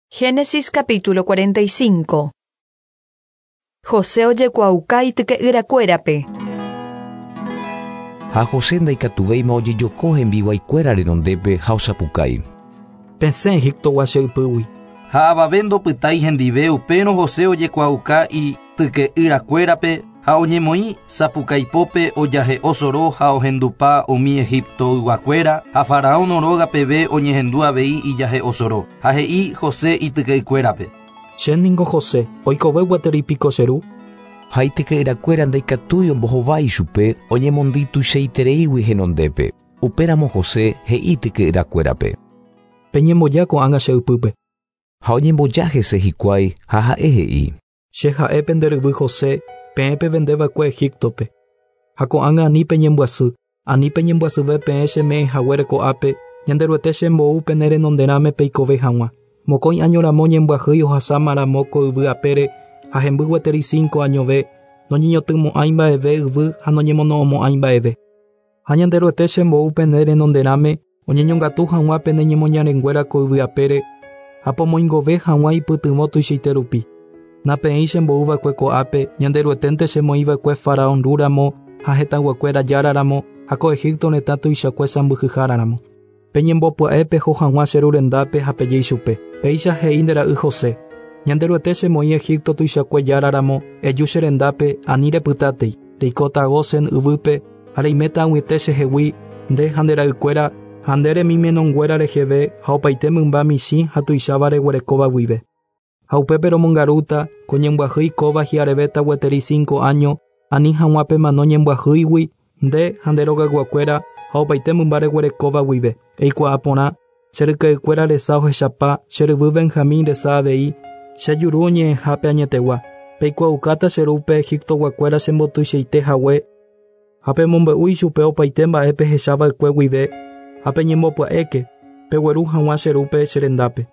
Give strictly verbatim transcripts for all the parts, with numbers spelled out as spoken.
Génesis capítulo cuarenta y cinco. José ojekuaauka ityke'yrakuérape. Ha José ndaikatuvéima ojejoko hembiguaikuéra renondépe ha osapukái. Pesẽ Egiptogua che ypýgui. Ha avave ndopytái hendive upérõ José ojekuaauka ityke'yrakuérape ha oñemoĩ sapukaipópe ojahe'o soro ha ohendupa umi Egiptoyguakuéra ha faraón róga peve oñehendu avei ijahe'o soro ha he'i José ityke'ykuérape. Che ningo José, oikove gueteri piko che ru. Ha ityke'yrakuéra ndaikatúi ombohovái chupe oñemondy tuichaitereígui henondépe. Upéramo José he'i ityke'yrakuérape. Peñemboja ko'ág̃a che ypýpe. Ha oñemboja hese hikuái ha ha'e he'i. Che ha'e pende ryvy José, peẽ pevendeva'ekue Egiptope. Ha ko'ág̃a ani peñembyasy, ani peñembyasyve peẽ cheme'ẽ haguére ko'ápe, Ñanderuete chembou pene renonderãme peikove hag̃ua. Mokõi año ramo ñembyahýi ohasáma ramo ko yvy apére ha hemby gueteri cinco añove, noñeñotỹmo'ãi mba'eve yvy ha noñemono'õmo'ãi mba'eve. Ha Ñanderuete chembou pene renonderãme oñeñongatu hag̃ua pene ñemoñarenguéra ko yvy apére ha pomoingove hag̃ua ipytyvõ tuichaite rupi. Napeẽ chembouva'ekue ko'ápe, Ñanderueténte chemoĩva'ekue faraón rúramo ha hetãguakuéra járaramo ha ko Egipto retã tuichakue sãmbyhyháraramo. Peñembopya'e peho hag̃ua che ru rendápe ha pejéi chupe. Péicha he'i nde ra'y José. Ñanderuete chemoĩ Egipto tuichakue járaramo, eju che rendápe ani repytátei, reikóta Gosen yvýpe ha reiméta ag̃uiete chehegui nde ha nde ra'ykuéra ha nde remimenonguéra reheve ha opaite mymba michĩ ha tuicháva reguerekóva guive. Ha upépe romongarúta ko ñembyahýi kóva hi'arevéta gueteri cinco año ani hag̃ua pemano ñembyahýigui nde ha nde rogayguakuéra ha opaite mymba reguerekóva guive. Eikuaa porã che ryke'ykuéra resa ohechapa che ryvy Benjamín resa avei che juru oñe'ẽhápe añetegua. Peikuaaukáta che rúpe Egiptoguakuéra chembotuichaite hague ha pemombe'u ichupe opaite mba'e pehechava'ekue guive ha peñembopya'éke pegueru hag̃ua che rúpe che rendápe.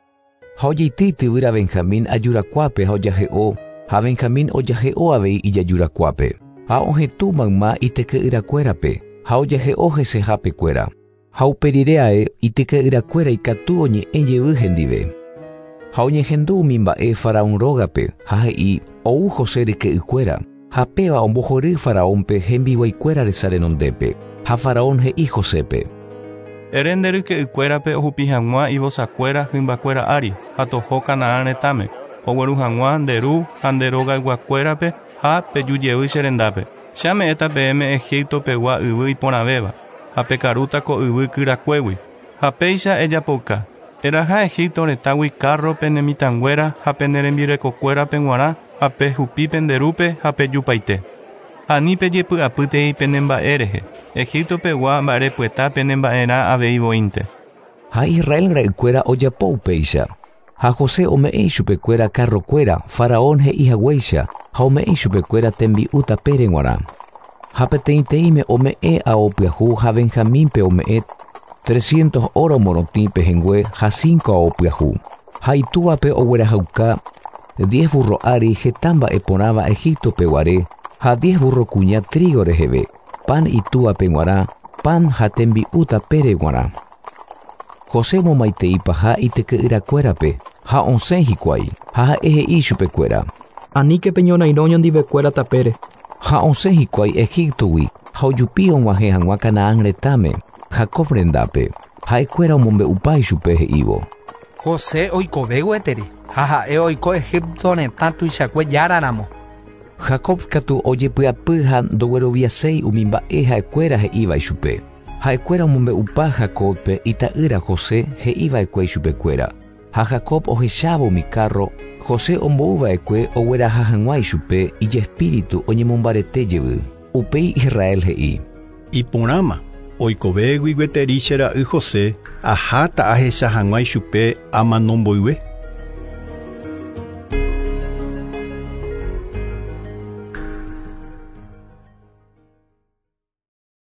Ha ojeity ityvýra Benjamín ajurakuápe ha ojahe'o ha Benjamín ojahe'o avei ijajurakuápe. Ha ohetũ mayma ityke'yrakuérape ha ojahe'o hesehapekuéra. Ha uperire ae ityke'yrakuéra ikatu oñe'ẽ jevy hendive. Ha oñehendu umi mba'e faraón rógape ha he'i ou José ryke'ykuéra ha péva ombohory faraónpe hembiguaikuéra resa renondépe. Ha faraón he'i Josépe. Ere nde ryke'ykuérape ohupi hag̃ua ivosakuéra hymbakuéra ári ha toho Canaán retãme, ogueru hag̃ua nde ru ha nde rogayguakuérape ha pejujevy che rendápe. Che ame'ẽta peẽme Egipto pegua yvy iporãvéva ha pekarúta ko yvy kyrakuégui. Ha péicha ejapouka. Eraha Egipto retãgui carro pene mitãnguéra ha pene rembirekokuérape g̃uarã ha pehupi pende rúpe ha pejupaite. Ani pejepy'apýtei pene mba'e rehe. Egipto pegua mba'erepyeta pene mba'erã avei voínte. Ha Israel ra'ykuéra ojapo upéicha. Ha José ome'ẽ ichupekuéra carrokuéra faraón he'i haguéicha ha ome'ẽ ichupekuéra tembi'u tapére g̃uarã. Ha peteĩteĩme ome'ẽ ao pyahu ha Benjamínpe ome'ẽ trescientos oro morotĩ pehẽngue ha cinco ao pyahu. Ha itúvape oguerahauka diez burro ári heta mba'e porãva Egipto peguare ha diez burro kuña trigo reheve, pan itúvape g̃uarã, pan ha tembi'u tapére g̃uarã. José omomaiteipaha ityke'yrakuérape ha osẽ hikuái ha ha'e he'i chupekuéra. Aníke peñorairõ ñondivekuéra tapére. Ha osẽ hikuái Egiptogui ha ojupi og̃uahẽ hag̃ua Canaán retãme, Jacob rendápe. Ha'ekuéra omombe'upa ichupe he'ívo. José oikove gueteri ha ha'e oiko Egipto retã tuichakue járaramo. Jacob katu ojepy'apy ha ndogueroviaséi umi mba'e ha'ekuéra he'íva ichupe. Ha'ekuéra omombe'upa Jacobpe ita'ýra José he'iva'ekue ichupekuéra. Ha Jacob ohechávo umi carro, José ombouva'ekue ogueraha hag̃ua ichupe ijespíritu oñemombarete jevy. Upéi Israel he'i. Iporãma, oikovégui gueteri che ra'y José, aháta ahecha hag̃ua ichupe amanomboyve.